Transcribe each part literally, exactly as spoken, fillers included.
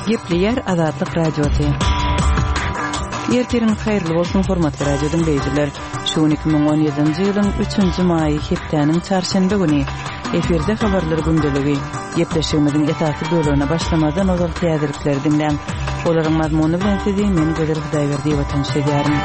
Gepleýär Azatlyk Radiosy. Ertiriňiz haýyrly bolsun, hormatly radio diňleýjiler. Şu gün iki müň on ýedinji ýylyň üçünji maýy hepdäniň çarşenbe güni. Efirde habarlar gündeligi. Gepleşigimiziň esasy bölegine başlamazdan ozal täzelikleri diňläň. Olaryň mazmuny bilen sizi men Gözel Hudaýberdiýewa tanyş edýärin.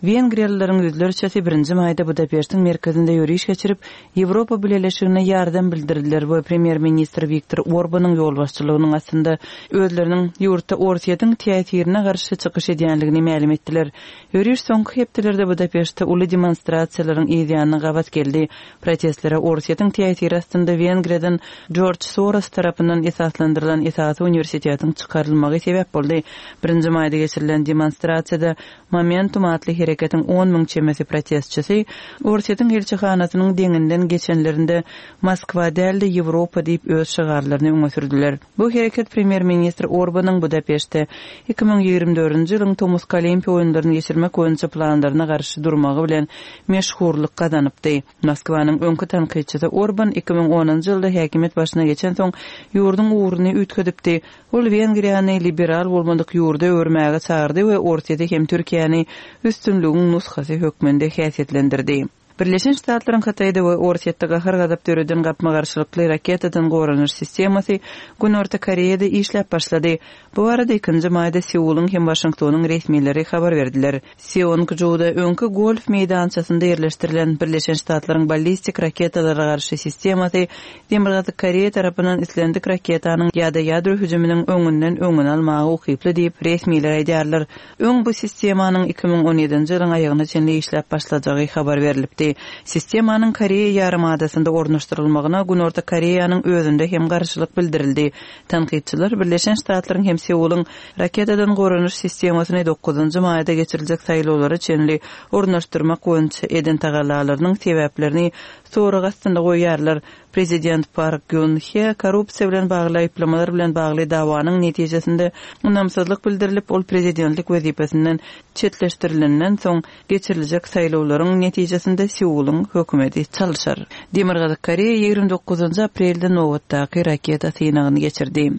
Wengriýalylaryň ýüzlerçesi birinji maýda Budapeştiň merkezinde ýöriş geçirip, Ýewropa Bileleşigine ýardam bildirdiler we premýer-ministr Wiktor Orbanyň ýolbaşçylygynyň astynda özleriniň ýurtda Orsýetiň täsirine garşy çykyş edýänligini mälim etdiler. Ýöriş soňky hepdelerde Budapeştde uly demonstrasiýalaryň yz ýanyna gabat geldi. Protestlere Orsýetiň täsiri astynda Wengriýadan Jorj Soros tarapyndan esaslandyrylan esasy uniwersitetiň çykarylmagy sebäp boldy. Birinji maýda geçirilen demonstrasiýada Momentum atly hereketiň on müň çemesi protestçisi Orsýetiň ilçihanasynyň deňinden geçenlerinde Moskwa däl-de Ýewropa diýip öz şygarlaryny öňe sürdüler. Bu hereket premýer-ministr Orbanyň Budapeştde iki müň ýigrimi dördünji ýylyň tomusky Olimpiýa oýunlaryny geçirmek boýunça planlaryna garşy durmagy bilen meşhurlyk gazanypdy. Moskwanyň öňki tankytçysy Orban iki müň onunjy ýylda häkimiýet başyna geçensoň ýurduň ugruny üýtgedipdi. Ol Wengriýany liberal bolmadyk ýurda öwürmäge çagyrdy we Orsýeti hem Türkiýäni üstünligiň nusgasy hökmünde häsiýetlendirdi. Birleşen Ştatlaryň Hytaýda we Orsýetde gahar-gazap döreden gapma-garşylykly raketadan goranyş sistemasy Günorta Koreýada işläp başlady. Bu barada ikinji maýda Seulyň hem Waşingtonyň resmileri habar berdiler. Seongjuda öňki golf meýdançasynda ýerleşdirilen Birleşen Ştatlaryň ballistik raketalara garşy sistemasy Demirgazyk Koreýa tarapyndan islendik raketanyň ýa-da ýadro hüjüminiň öňünden öňüni almaga ukyply diýip, resmiler aýdýarlar. Öň bu sistemanyň iki müň on ýedinji ýylyň aýagyna çenli işläp başlajagy habar berlipdi. Sistemanyň Koreýa ýarymadasynda ornaşdyrylmagyna Günorta Koreýanyň özünde hem garşylyk bildirildi. Tankytçylar Birleşen Ştatlaryň hem Seulyň raketadan goranyş sistemasyny dokuzynjy maýda geçiriljek saýlawlara çenli ornaşdyrmak boýunça eden tagallalarynyň sebäplerini sorag astynda goýýarlar. Prezident Park Geun-hye korrupsiýa bilen bagly aýyplamalar bilen bagly dawanyň netijesinde ynamsyzlyk bildirilip, ol prezidentlik wezipesinden çetleşdirilenden soň geçiriljek saýlawlaryň netijesinde Seulyň hökümeti çalşar. Demirgazyk Koreýa ýigrimi dokuzynjy aprelde nobatdaky raketa synagyny geçirdi.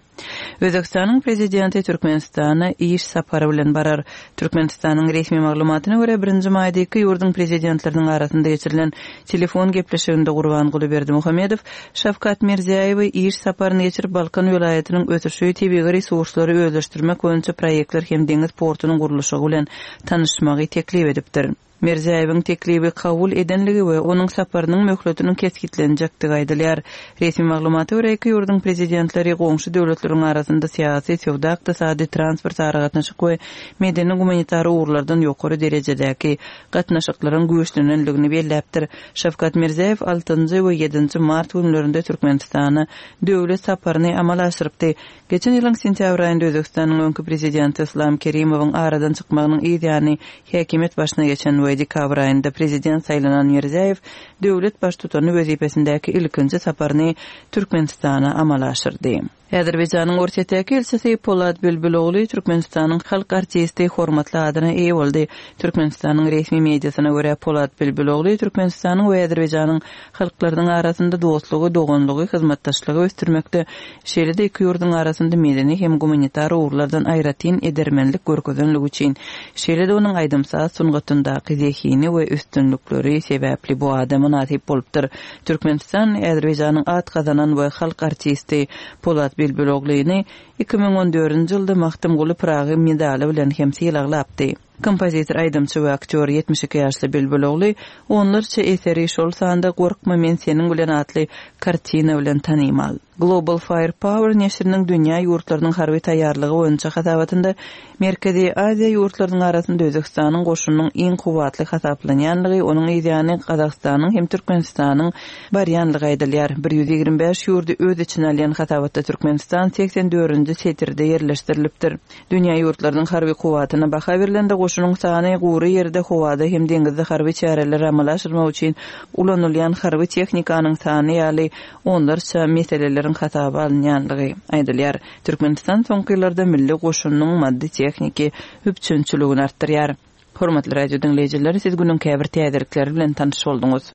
Özbekistanyň prezidenti Türkmenistana iş sapary bilen barar. Türkmenistanyň resmi maglumatyna görä, birinji maýda iki ýurduň prezidentleriniň arasynda geçirilen telefon gepleşiginde Gurbanguly Berdimuhamedow Şawkat Mirziýaýewi iş saparyny geçirip, Balkan welaýatynyň ösüşi, tebigy resurslary özleşdirmek boýunça proýektler hem deňiz portunyň gurluşygy bilen tanyşmagy teklip edipdir. Mirziýaýewiň teklibi kabul edenligi we onuň saparynyň möhletiniň kesgitlenjekdigi aýdylýar. Resmi maglumata görä, iki ýurduň prezidentleri goňşy döwletleriň arasynda syýasy, söwda-ykdysady, transport aragatnaşyk we medeni-gumanitar ugurlardan ýokary derejedäki gatnaşyklaryň güýçlenenligini belläpdir. Şawkat Mirziýaýew altynjy we ýedinji mart günlerinde Türkmenistana döwlet saparyny amala aşyrypdy. Geçen ýylyň sentýabr aýynda Özbekistanyň öňki prezidenti Islam Kerimowyň aradan çykmagynyň yz ýany häkimiýet başyna geçen we dekabr aýynda prezident saýlanan Mirziýaýew döwlet baştutany wezipesindäki ilkinji saparyny Türkmenistana amala aşyrdy. Azerbaýjanyň Orsýetdäki ilçisi Polat Bülbüloğlu Türkmenistanyň halk artisti hormatly adyna eýe boldy. Türkmenistanyň resmi mediasyna görä Polat Bülbüloğlu Türkmenistanyň we Azerbaýjanyň halklarynyň arasynda dostlugy, doganlygy, hyzmatdaşlygy ösdürmekde, şeýle-de iki ýurduň arasynda medeni hem gumanitar ugurlardan aýratyn edermenlik görkezenligi üçin, şeýle-de onuň aýdym-saz sungatyndaky zehini we üstünlikleri sebäpli bu ada mynasyp bolupdyr. Türkmenistan Azerbaýjanyň at gazanan we halk artisti Polat Bülbüloğluny iki müň on dördünji ýylda Magtymguly Pyragy medaly bilen hem sylaglapdy. Kompozitor, aýdymçy we aktýor ýetmiş iki ýaşly Bülbüloğlu onlarça eseri, şol sanda Gorkma men seniň bilen atly kartina bilen tanymal. Global Firepower neşiriniň dünýä ýurtlarynyň harby taýýarlygy boýunça hasabatynda Merkezi Aziýa ýurtlarynyň arasynda Özbekistanyň goşunynyň iň kuwwatly hasaplanýanlygy, onuň ýany Gazagystanyň hem Türkmenistanyň barýanlygy aýdylýar. Bir ýüz ýigrimi bäş ýurdy öz içine alýan hasabatda Türkmenistan seksen dördünji setirde ýerleşdirilipdir. Dünýä ýurtlarynyň harby kuwwatyna baha berilende goşunyň sany gury ýerde, howada hem deňizde harby çäreler amala aşyrmak üçin ulanylýan harby tehnikanyň sany ýaly onlarça meseleleriň hasaba alynýanlygy aýdylýar. Türkmenistan soňky ýyllarda milli goşunyň maddy tehniki üpjünçiligini artdyrýar. Hormatly radio diňleýjiler, siz günüň käbir täzelikleri bilen tanyş bolduňyz.